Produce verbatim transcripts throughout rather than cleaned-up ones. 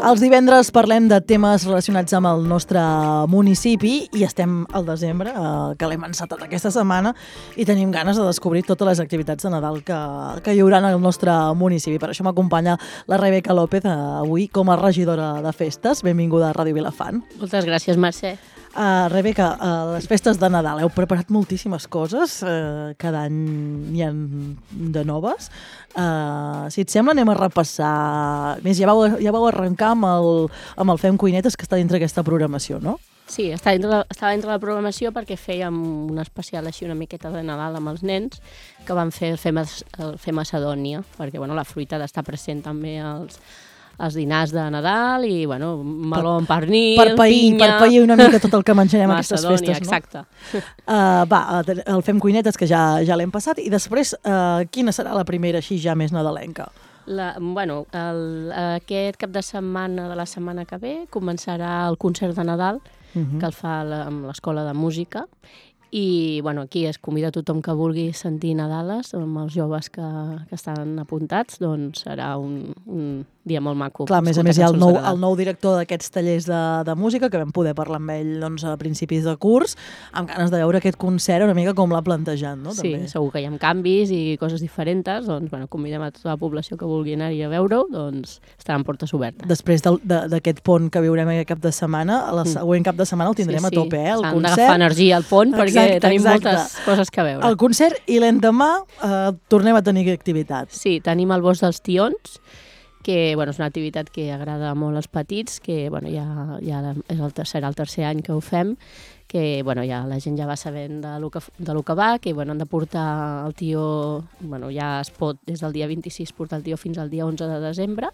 Els divendres parlem de temes relacionats amb el nostre municipi i estem al desembre, eh, que l'hem encetat aquesta setmana, i tenim ganes de descobrir totes les activitats de Nadal que, que hi haurà en el nostre municipi. Per això m'acompanya la Rebeca López, eh, avui com a regidora de festes. Benvinguda a Ràdio Vilafant. Moltes gràcies, Mercè. Uh, Rebeca, uh, les festes de Nadal, heu preparat moltíssimes coses, uh, cada any n'hi ha de noves. Uh, si et sembla, anem a repassar. A més, ja vau, ja vau arrencar amb el, amb el Fem Cuinetes, que està dintre aquesta programació, no? Sí, està dintre la, estava dintre la programació perquè fèiem un especial així una miqueta de Nadal amb els nens, que van fer el Fer, el fer Macedònia, perquè bueno, la fruita ha d'estar present també als els dinars de Nadal i, bueno, meló amb pernil, per pair, pinya... Per pair una mica tot el que menjarem a aquestes festes, no? Exacte. Uh, va, el Fem Cuinetes, que ja, ja l'hem passat, i després, uh, quina serà la primera així ja més nadalenca? La, bueno, el, aquest cap de setmana de la setmana que ve començarà el concert de Nadal, uh -huh. que el fa la, amb l'Escola de Música, i bueno, aquí es convida tothom que vulgui sentir Nadales, amb els joves que, que estan apuntats, doncs serà un, un dia molt maco. Clar, a més a més hi ha el nou, el nou director d'aquests tallers de, de música, que vam poder parlar amb ell doncs, a principis de curs, amb ganes de veure aquest concert una mica com l'ha plantejat, no? Sí, també. Segur que hi ha canvis i coses diferents, doncs bueno, convidem a tota la població que vulgui anar-hi a veure-ho, doncs estaran portes obertes. Després d'aquest pont que viurem aquest cap de setmana, el següent cap de setmana el tindrem sí, sí. a tope, eh? El S'han concert. d'agafar energia al pont perquè exacte, tenim exacte. moltes coses que veure. El concert i l'endemà eh, tornem a tenir activitat. Sí, tenim el Bosc dels Tions, que bueno, és una activitat que agrada molt als petits, que bueno, ja, ja és el tercer, el tercer any que ho fem, que bueno, ja la gent ja va sabent de lo que, de lo que va, que bueno, han de portar el tió, bueno, ja es pot des del dia vint-i-sis portar el tió fins al dia onze de desembre,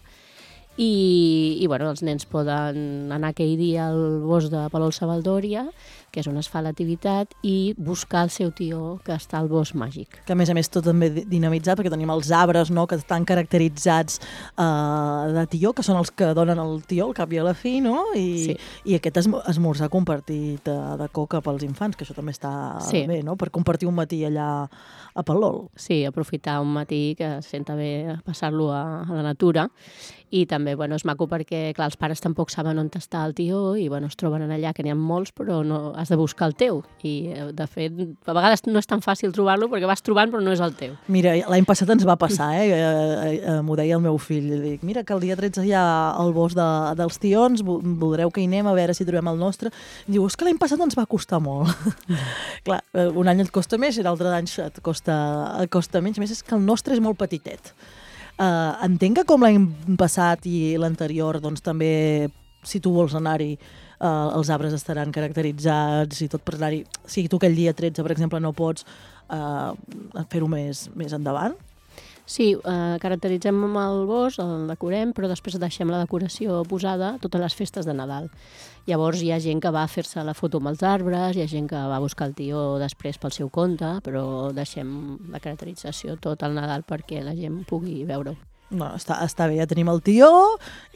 i, i bueno, els nens poden anar aquell dia al bosc de Palol-Savaldòria, que és on es fa l'activitat, i buscar el seu tió que està al bosc màgic. Que a més a més tot també dinamitzat, perquè tenim els arbres, no?, que estan caracteritzats uh, de tió, que són els que donen el tió al cap i a la fi, no? I, sí. i aquest esm esmorzar compartit de, de coca pels infants, que això també està sí. bé, no?, per compartir un matí allà a Palol. Sí, aprofitar un matí que es senta bé passar-lo a, a la natura. I també, bueno, és maco perquè, clar, els pares tampoc saben on està el tió i, bueno, es troben allà, que n'hi ha molts, però no has de buscar el teu. I, de fet, a vegades no és tan fàcil trobar-lo perquè vas trobant però no és el teu. Mira, l'any passat ens va passar, eh? eh, eh M'ho deia el meu fill. Dic, mira, que el dia tretze hi ha el bosc de, dels tions, voldreu que hi anem a veure si trobem el nostre. Diu, és que l'any passat ens va costar molt. Clar, un any et costa més i l'altre any et costa, et costa menys. A més, és que el nostre és molt petitet. Uh, entenc que com l'any passat i l'anterior, doncs també, si tu vols anar-hi, uh, els arbres estaran caracteritzats i tot per anar-hi. Si tu aquell dia tretze, per exemple, no pots uh, fer-ho més, més endavant. Sí, eh, caracteritzem amb el bosc, el decorem, però després deixem la decoració posada a totes les festes de Nadal. Llavors hi ha gent que va a fer-se la foto amb els arbres, hi ha gent que va a buscar el tió després pel seu compte, però deixem la caracterització tot el Nadal perquè la gent pugui veure-ho. No, està, està bé, ja tenim el tió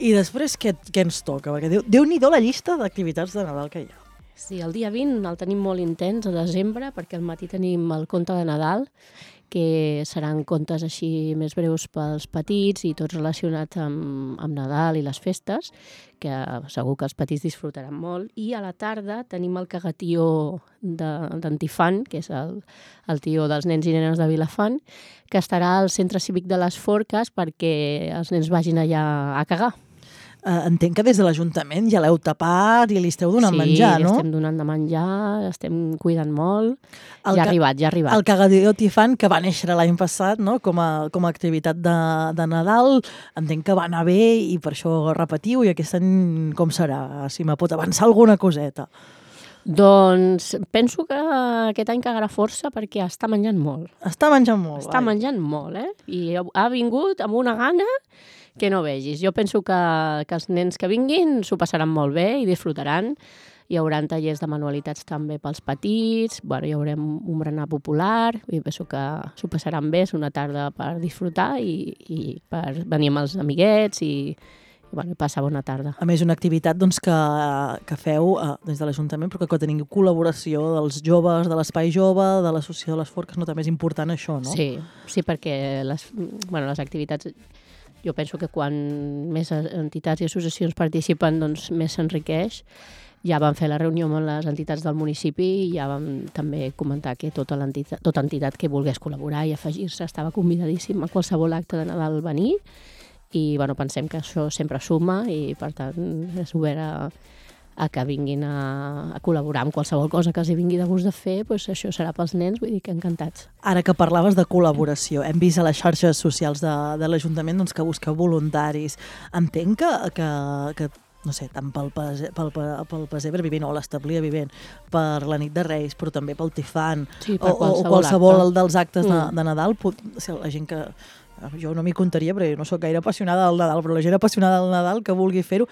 i després què, què ens toca? Perquè Déu, Déu-n'hi-do la llista d'activitats de Nadal que hi ha. Sí, el dia vint el tenim molt intens, a desembre, perquè al matí tenim el conte de Nadal, que seran contes així més breus pels petits i tots relacionats amb, amb Nadal i les festes, que segur que els petits disfrutaran molt. I a la tarda tenim el cagatió d'Antifant, que és el, el tió dels nens i nenes de Vilafant, que estarà al Centre Cívic de les Forques perquè els nens vagin allà a cagar. Uh, entenc que des de l'Ajuntament ja l'heu tapat i li esteu donant sí, menjar, no? Sí, estem donant de menjar, estem cuidant molt. El ja ha arribat, ja ha arribat. El cagatió Antifant, que va néixer l'any passat, no?, com a, com a activitat de, de Nadal, entenc que va anar bé i per això repetiu, i aquest any com serà? Si me pot avançar alguna coseta. Doncs penso que aquest any cagarà força perquè està menjant molt. Està menjant molt. Està vai. menjant molt, eh? I ha vingut amb una gana que no vegis. Jo penso que, que els nens que vinguin s'ho passaran molt bé i disfrutaran. Hi haurà tallers de manualitats també pels petits, bueno, hi haurem un berenar popular, i penso que s'ho passaran bé, és una tarda per disfrutar i, i per venir amb els amiguets i, i bueno, passar bona tarda. A més, una activitat doncs, que, que feu eh, des de l'Ajuntament, però que, que teniu col·laboració dels joves, de l'Espai Jove, de l'Associació de les Forques, no? També és important això, no? Sí, sí, perquè les, bueno, les activitats jo penso que quan més entitats i associacions participen, doncs més s'enriqueix. Ja vam fer la reunió amb les entitats del municipi i ja vam també comentar que tota, l'entitat, tota entitat que volgués col·laborar i afegir-se estava convidadíssim a qualsevol acte de Nadal venir i bueno, pensem que això sempre suma i per tant és obert a, a que vinguin a, a col·laborar amb qualsevol cosa que els hi vingui de gust de fer, doncs això serà pels nens, vull dir que encantats. Ara que parlaves de col·laboració, hem vist a les xarxes socials de, de l'Ajuntament doncs, que busqueu voluntaris. Entenc que, que, que no sé, tant pel, pel, pel pessebre vivent o l'establia vivent, per la nit de Reis, però també pel Tifant, sí, o, qualsevol o qualsevol acte. dels actes de, mm. de Nadal, pot, o sigui, la gent que... Jo no m'hi comptaria, perquè no sóc gaire apassionada del Nadal, però la gent apassionada del Nadal que vulgui fer-ho,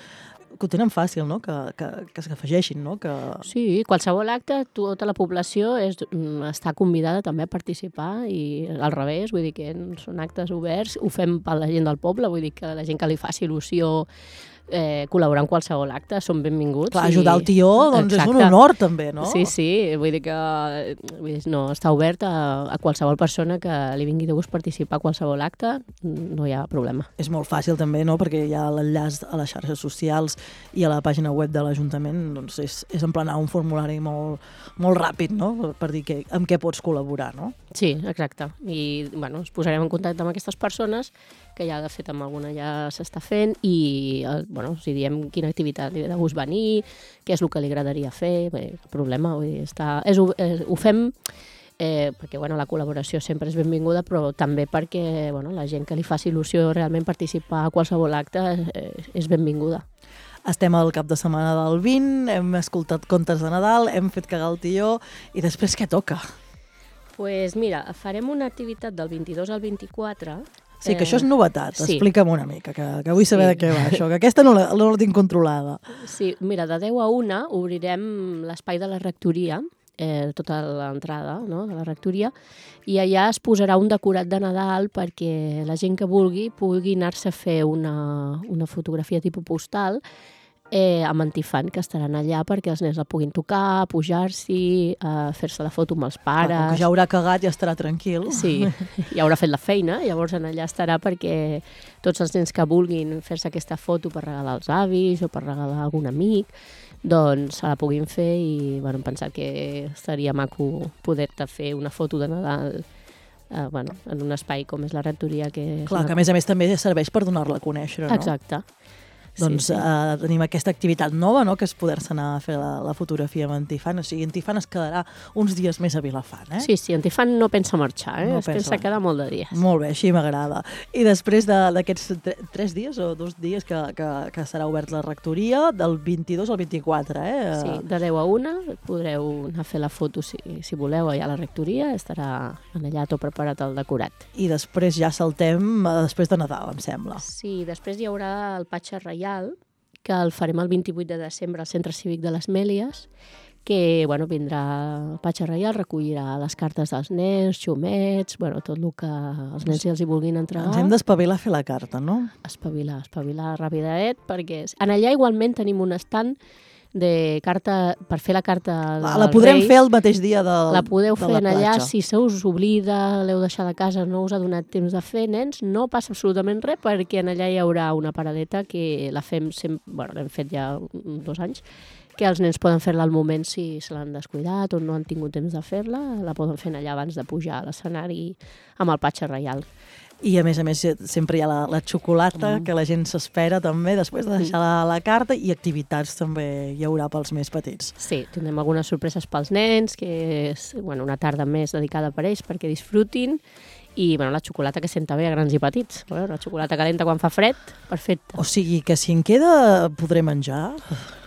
que ho tenen fàcil, no? Que, que, que s'afegeixin, no? Que... Sí, qualsevol acte, tota la població és, està convidada també a participar i al revés, vull dir que són actes oberts, ho fem per la gent del poble, vull dir que la gent que li faci il·lusió eh, col·laborar en qualsevol acte són benvinguts. Clar, ajudar el tió doncs Exacte. És un honor també, no? Sí, sí, vull dir que vull dir, no, està obert a, a qualsevol persona que li vingui de gust participar a qualsevol acte, no hi ha problema. És molt fàcil també, no? Perquè hi ha l'enllaç a les xarxes socials i a la pàgina web de l'Ajuntament, doncs és, és emplenar un formulari molt, molt ràpid, no? Per dir que, amb què pots col·laborar, no? Sí, exacte. I bueno, ens posarem en contacte amb aquestes persones, que ja de fet amb alguna ja s'està fent, i bueno, si diem quina activitat li ve de gust venir, què és el que li agradaria fer, bé, problema, vull dir, està, és, és, ho fem eh, perquè bueno, la col·laboració sempre és benvinguda, però també perquè bueno, la gent que li faci il·lusió realment participar a qualsevol acte eh, és benvinguda. Estem al cap de setmana del vint, hem escoltat contes de Nadal, hem fet cagar el tió, i després què toca? Pues mira, farem una activitat del vint-i-dos al vint-i-quatre. Sí, que això és novetat. Sí. Explica'm una mica, que, que vull saber Sí. de què va això, que aquesta no la, no la tinc controlada. Sí, mira, de deu a una obrirem l'espai de la rectoria, eh, tota l'entrada, no?, de la rectoria, i allà es posarà un decorat de Nadal perquè la gent que vulgui pugui anar-se a fer una, una fotografia tipus postal eh, amb antifant, que estaran allà perquè els nens la puguin tocar, pujar-s'hi, eh, fer-se la foto amb els pares. Clar, com que ja haurà cagat i estarà tranquil. Sí, ja haurà fet la feina, llavors en allà estarà perquè tots els nens que vulguin fer-se aquesta foto per regalar als avis o per regalar a algun amic, doncs se la puguin fer i bueno, hem pensat que estaria maco poder-te fer una foto de Nadal eh, bueno, en un espai com és la rectoria. Que Clar, una... que a més a més també serveix per donar-la a conèixer, no? Exacte. Doncs sí, sí. Uh, tenim aquesta activitat nova, no?, que és poder-se anar a fer la, la fotografia amb Antifant. O sigui, Antifant es quedarà uns dies més a Vilafant, eh? Sí, sí, Antifant no pensa marxar, eh? No es pensa. pensa quedar molt de dies. Molt bé, així m'agrada. I després d'aquests tre tres dies o dos dies que, que, que serà obert la rectoria, del vint-i-dos al vint-i-quatre, eh? Sí, de deu a una podreu anar a fer la foto si, si voleu allà a la rectoria, estarà allà tot preparat el decorat. I després ja saltem uh, després de Nadal, em sembla. Sí, després hi haurà el Patxa Reial, que el farem el vint-i-vuit de desembre al Centre Cívic de les Mèlies, que bueno, vindrà el Patxa Reial, recollirà les cartes dels nens, xumets, bueno, tot el que els nens els hi vulguin entregar. Ens hem d'espavilar a fer la carta, no? Espavilar, espavilar rapidadet, perquè en allà igualment tenim un estand de carta, per fer la carta dels La podrem Reis. fer el mateix dia del, La podeu de fer la en allà, platja. si se us oblida, l'heu deixat a casa, no us ha donat temps de fer, nens, no passa absolutament res, perquè en allà hi haurà una paradeta que la fem sempre, bueno, l'hem fet ja dos anys, que els nens poden fer-la al moment si se l'han descuidat o no han tingut temps de fer-la, la poden fer allà abans de pujar a l'escenari amb el Patxa Reial. I a més a més sempre hi ha la, la xocolata, mm. que la gent s'espera també després de deixar la, la carta, i activitats també hi haurà pels més petits. Sí, tindrem algunes sorpreses pels nens, que és bueno, una tarda més dedicada per ells perquè disfrutin, i bueno, la xocolata que senta bé a grans i petits. Bueno, la xocolata calenta quan fa fred, perfecte. O sigui que si en queda podré menjar.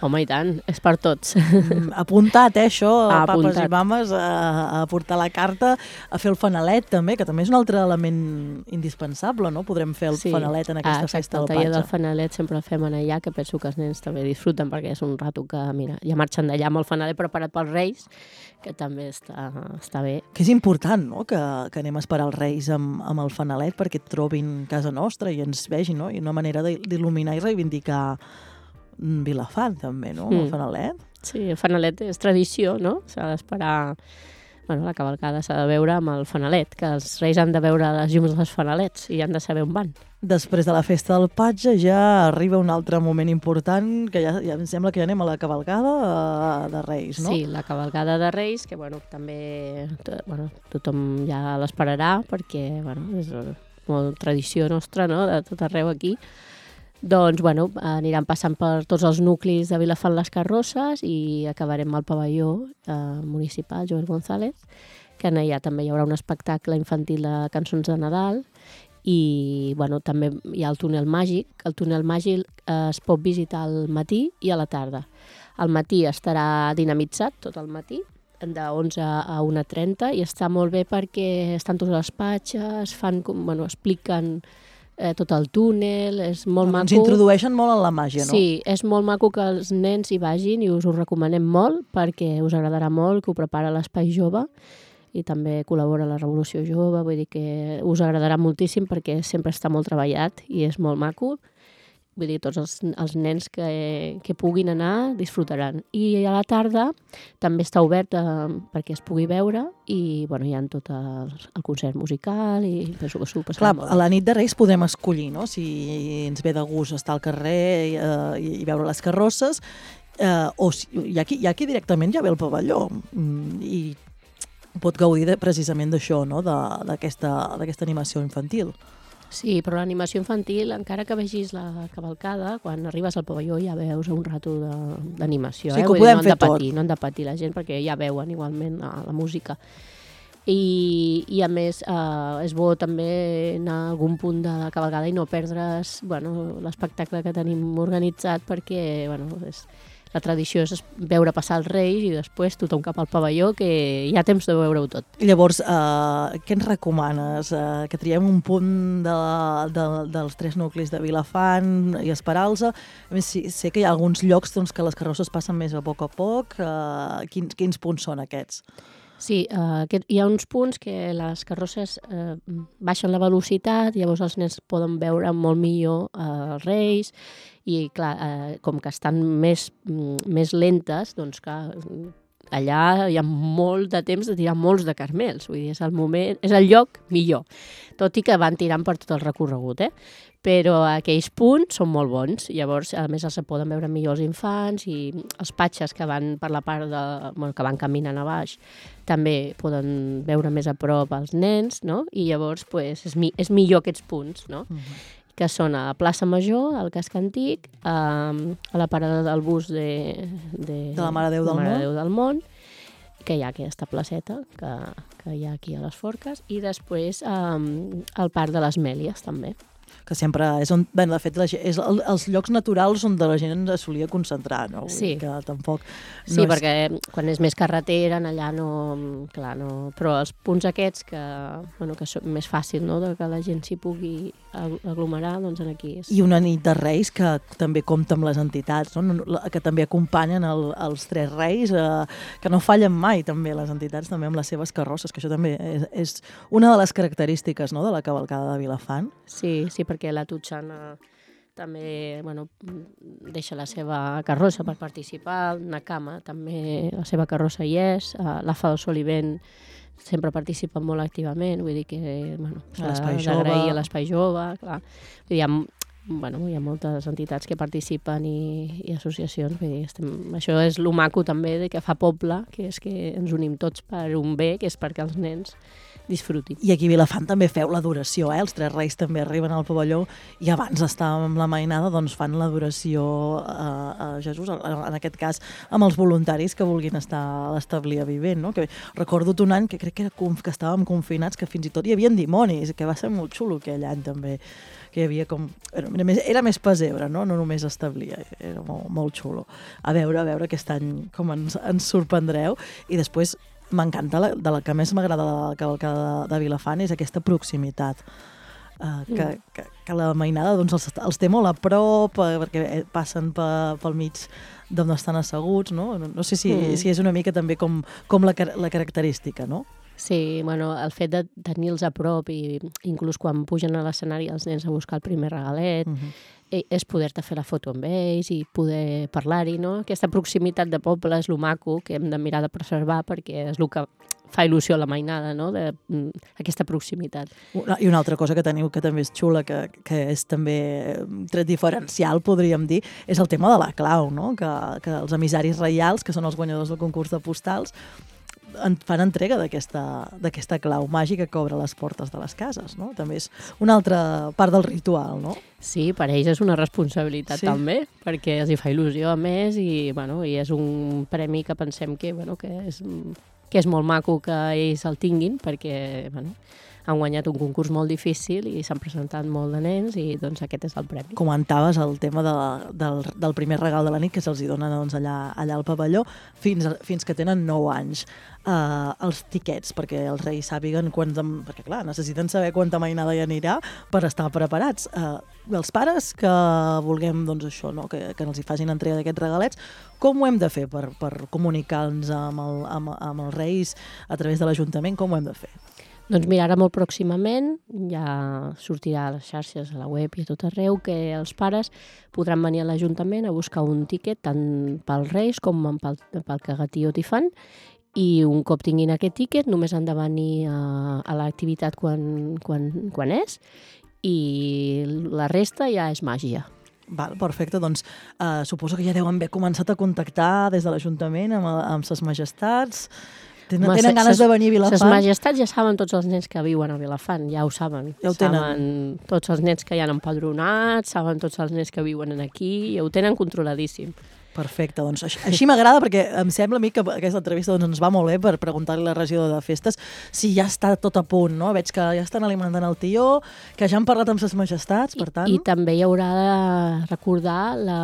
Home, i tant, és per tots. Mm, apuntat, eh, això, Ah, papes apuntat. i mames, a, a portar la carta, a fer el fanalet també, que també és un altre element indispensable, no? Podrem fer el Sí. fanalet en aquesta ah, exacte, festa del el taller Patxa. del fanalet sempre el fem en allà, que penso que els nens també disfruten, perquè és un rato que, mira, ja marxen d'allà amb el fanalet preparat pels Reis, que també està, està bé. Que és important, no?, que, que anem a esperar els Reis amb, amb el fanalet perquè et trobin casa nostra i ens vegin, no? I una manera d'il·luminar i reivindicar Vilafant, també, no?, amb el Mm. fanalet. Sí, el fanalet és tradició, no? S'ha d'esperar bueno, la cavalcada s'ha de veure amb el fanalet, que els reis han de veure les llums dels fanalets i han de saber on van. Després de la festa del patge ja arriba un altre moment important, que ja, ja em sembla que ja anem a la cavalcada de Reis, no? Sí, la cavalcada de Reis, que bueno, també bueno, tothom ja l'esperarà, perquè bueno, és molt tradició nostra, no?, de tot arreu aquí. Doncs bueno, aniran passant per tots els nuclis de Vilafant les carrosses i acabarem al pavelló eh, municipal Joel González, que allà també hi haurà un espectacle infantil de cançons de Nadal. I bueno, també hi ha el túnel màgic. El túnel màgic eh, es pot visitar al matí i a la tarda. Al matí estarà dinamitzat tot el matí, de onze a una trenta, i està molt bé perquè estan tots les patxes, fan, bueno, expliquen eh, tot el túnel, és molt Ens maco. Ens introdueixen molt en la màgia, no? Sí, és molt maco que els nens hi vagin i us ho recomanem molt perquè us agradarà molt, que ho prepara l'Espai Jove i també col·labora la Revolució Jove, vull dir que us agradarà moltíssim perquè sempre està molt treballat i és molt maco. Vull dir, tots els, els nens que, que puguin anar disfrutaran. I a la tarda també està obert eh, perquè es pugui veure i bueno, hi ha tot el, el concert musical i penso que s'ho passarà Clar, molt. A la nit de Reis podem escollir, no?, si ens ve de gust estar al carrer eh, i, i veure les carrosses, eh, o si, hi, ha qui, hi ha qui directament ja ve al pavelló mm, i pot gaudir de, precisament d'això, no?, d'aquesta d'aquesta animació infantil. Sí, però l'animació infantil, encara que vegis la cavalcada, quan arribes al pavelló ja veus un rato d'animació. Sí, eh? que ho Vull dir, podem no han fer de patir, tot. No han de patir la gent perquè ja veuen igualment la, la música. I, i a més eh, és bo també anar a algun punt de la cavalcada i no perdre's bueno, l'espectacle que tenim organitzat perquè bueno, és... La tradició és veure passar els reis i després tothom cap al pavelló, que hi ha temps de veure-ho tot. Llavors, eh, què ens recomanes? Eh, que triem un punt de, de, dels tres nuclis de Vilafant i Esperalsa? A més, sí, sé que hi ha alguns llocs doncs, que les carrosses passen més a poc a poc. Eh, quins, quins punts són aquests? Sí, uh, aquest, hi ha uns punts que les carrosses uh, baixen la velocitat, llavors els nens poden veure molt millor uh, els reis i, clar, uh, com que estan més, més lentes, doncs, clar, allà hi ha molt de temps de tirar molts de carmels, vull dir, és el moment, és el lloc millor, tot i que van tirant per tot el recorregut, eh? Però aquells punts són molt bons, llavors a més els poden veure millor els infants i els patxes que van per la part de, bueno, que van caminant a baix també poden veure més a prop els nens, no? I llavors pues, és, mi és millor aquests punts, no? Uh-huh. Que són a la plaça Major, al casc antic, a, a la parada del bus de, de, de la Mare de Déu del, Mare de Déu del Món, que hi ha aquesta placeta que, que hi ha aquí a les Forques, i després um, al Parc de les Mèlies també. Que sempre és on, bé, de fet, la gent, és el, els llocs naturals on la gent es solia concentrar, no? Sí. Que tampoc... No sí, és... perquè quan és més carretera, allà no... Clar, no... Però els punts aquests que, bueno, que són més fàcil, no?, de que la gent s'hi pugui aglomerar, doncs aquí és... I una nit de Reis que també compta amb les entitats, no? Que també acompanyen el, els tres reis, eh, que no fallen mai, també, les entitats, també amb les seves carrosses, que això també és, és una de les característiques, no?, de la cavalcada de Vilafant. Sí, sí, perquè la Tutxana també bueno, deixa la seva carrossa per participar, Nakama també la seva carrossa hi és, la Fa del Sol i Vent sempre participen molt activament, vull dir que bueno, s'ha d'agrair a l'Espai Jove, clar. Vull dir, hi ha, bueno, hi ha moltes entitats que participen i, i associacions, vull dir, estem, això és lo maco també de que fa poble, que és que ens unim tots per un bé, que és perquè els nens disfrutin. I aquí a Vilafant també feu l'adoració, eh? Els tres reis també arriben al pavelló i abans d'estar amb la mainada doncs fan l'adoració a, a Jesús, en aquest cas amb els voluntaris que vulguin estar a l'establia vivent, no? Que recordo un any que crec que, era, que estàvem confinats, que fins i tot hi havia dimonis, que va ser molt xulo aquell any també, que hi havia com... Era més, era més pessebre, no? No només establia, era molt, molt xulo. A veure, a veure aquest any com ens, ens sorprendreu. I després m'encanta, la, de la que més m'agrada de la cavalcada de, de Vilafant és aquesta proximitat. Uh, que, mm. que, que la mainada doncs, els, els té molt a prop, uh, perquè passen pe, pel mig d'on estan asseguts, no? No, no sé si, mm. si és una mica també com, com la, la característica, no? Sí, bueno, el fet de tenir-los a prop i inclús quan pugen a l'escenari els nens a buscar el primer regalet, uh -huh. és poder-te fer la foto amb ells i poder parlar-hi, no? Aquesta proximitat de poble és lo maco que hem de mirar de preservar perquè és el que fa il·lusió a la mainada, no? De, aquesta proximitat. I una altra cosa que teniu que també és xula, que, que és també tret diferencial, podríem dir, és el tema de la clau, no? Que, que els emissaris reials, que són els guanyadors del concurs de postals, en fan entrega d'aquesta clau màgica que obre les portes de les cases, no? També és una altra part del ritual, no? Sí, per ells és una responsabilitat sí. també, perquè els hi fa il·lusió a més i, bueno, i és un premi que pensem que, bueno, que, és, que és molt maco que ells el tinguin, perquè bueno, han guanyat un concurs molt difícil i s'han presentat molt de nens i doncs aquest és el premi. Comentaves el tema de, del, del primer regal de la nit que se'ls dona doncs, allà, allà al pavelló fins, fins que tenen nou anys. Uh, els tiquets, perquè els reis sàpiguen quants, perquè clar, necessiten saber quanta mainada hi anirà per estar preparats. Uh, els pares que vulguem doncs, això, no? que, que ens hi facin entrega d'aquests regalets, com ho hem de fer per, per comunicar-nos amb, el, amb, amb els reis a través de l'Ajuntament? Com ho hem de fer? Doncs mira, ara molt pròximament ja sortirà a les xarxes, a la web i a tot arreu que els pares podran venir a l'Ajuntament a buscar un tiquet tant pels reis com pel, pel cagatí o tifant i un cop tinguin aquest tiquet només han de venir a, a l'activitat quan, quan, quan és i la resta ja és màgia. Val, perfecte, doncs uh, suposo que ja deuen haver començat a contactar des de l'Ajuntament amb, amb ses majestats. Tenen, Home, tenen ganes ses, de venir a Vilafant? Ses majestats ja saben tots els nens que viuen a Vilafant, ja ho saben. Ja ho saben tenen. Tots els nens que hi han empadronats, saben tots els nens que viuen aquí, ja ho tenen controladíssim. Perfecte, doncs així, així m'agrada perquè em sembla a mi que aquesta entrevista doncs, ens va molt bé per preguntar-li a la regidora de festes si ja està tot a punt, no? Veig que ja estan alimentant el tió, que ja han parlat amb ses majestats, per tant... I, i també hi haurà de recordar la,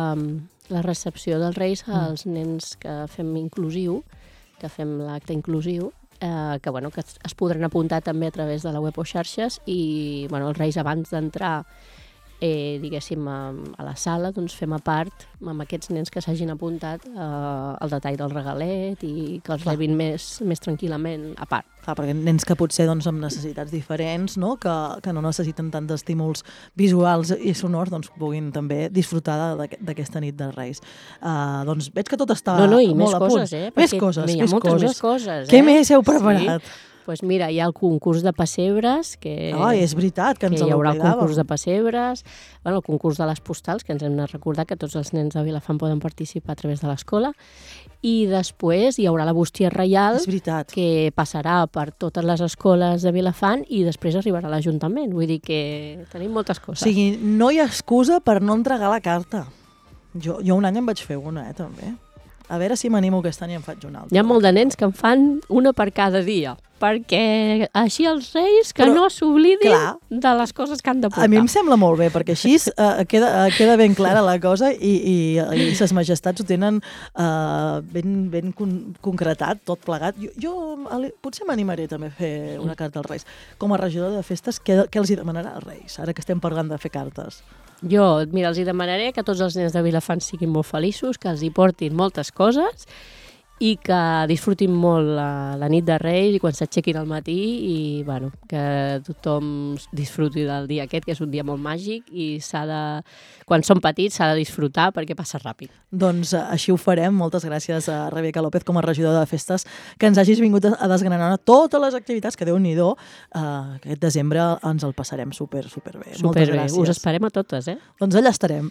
la recepció dels reis als mm. nens que fem inclusiu, que fem l'acte inclusiu, eh, que, bueno, que es, es podran apuntar també a través de la web o xarxes i bueno, els reis abans d'entrar eh, diguéssim, a, a la sala doncs fem a part amb aquests nens que s'hagin apuntat eh, el detall del regalet i que els Clar. rebin més, més tranquil·lament a part. Clar, perquè nens que potser doncs, amb necessitats diferents, no? que, que no necessiten tant d'estímuls visuals i sonors, doncs puguin també disfrutar d'aquesta nit dels Reis. Uh, doncs veig que tot està no, no, i molt més a punt. Coses, eh? Més coses, hi ha més moltes coses. més coses. Què eh? més heu preparat? Sí. Pues mira, hi ha el concurs de pessebres, que, oh, és veritat, que ens que hi haurà el concurs concurs de pessebres, bueno, el concurs de les postals, que ens hem de recordar que tots els nens de Vilafant poden participar a través de l'escola, i després hi haurà la bústia reial, que passarà per totes les escoles de Vilafant i després arribarà a l'Ajuntament. Vull dir que tenim moltes coses. O sigui, no hi ha excusa per no entregar la carta. Jo, jo un any em vaig fer una, eh, també. A veure si m'animo aquest any i em faig una altra. Hi ha molt de nens que en fan una per cada dia, perquè així els reis que Però, no s'oblidin de les coses que han de portar. A mi em sembla molt bé, perquè així uh, queda, uh, queda ben clara la cosa i, i, i ses majestats ho tenen uh, ben, ben con concretat, tot plegat. Jo, jo potser m'animaré també a fer una carta als reis. Com a regidora de festes, què, què els hi demanarà als reis, ara que estem parlant de fer cartes? Jo, mira, els hi demanaré que tots els nens de Vilafant siguin molt feliços, que els hi portin moltes coses i que disfrutin molt la, la nit de Reis i quan s'aixequin al matí i bueno, que tothom disfruti del dia aquest, que és un dia molt màgic i s'ha de, quan són petits s'ha de disfrutar perquè passa ràpid. Doncs així ho farem. Moltes gràcies a Rebeca López com a regidora de festes que ens hagis vingut a desgranar totes les activitats que Déu-n'hi-do uh, aquest desembre ens el passarem super, super bé. Super Moltes bé. gràcies. Us esperem a totes, eh? Doncs allà estarem.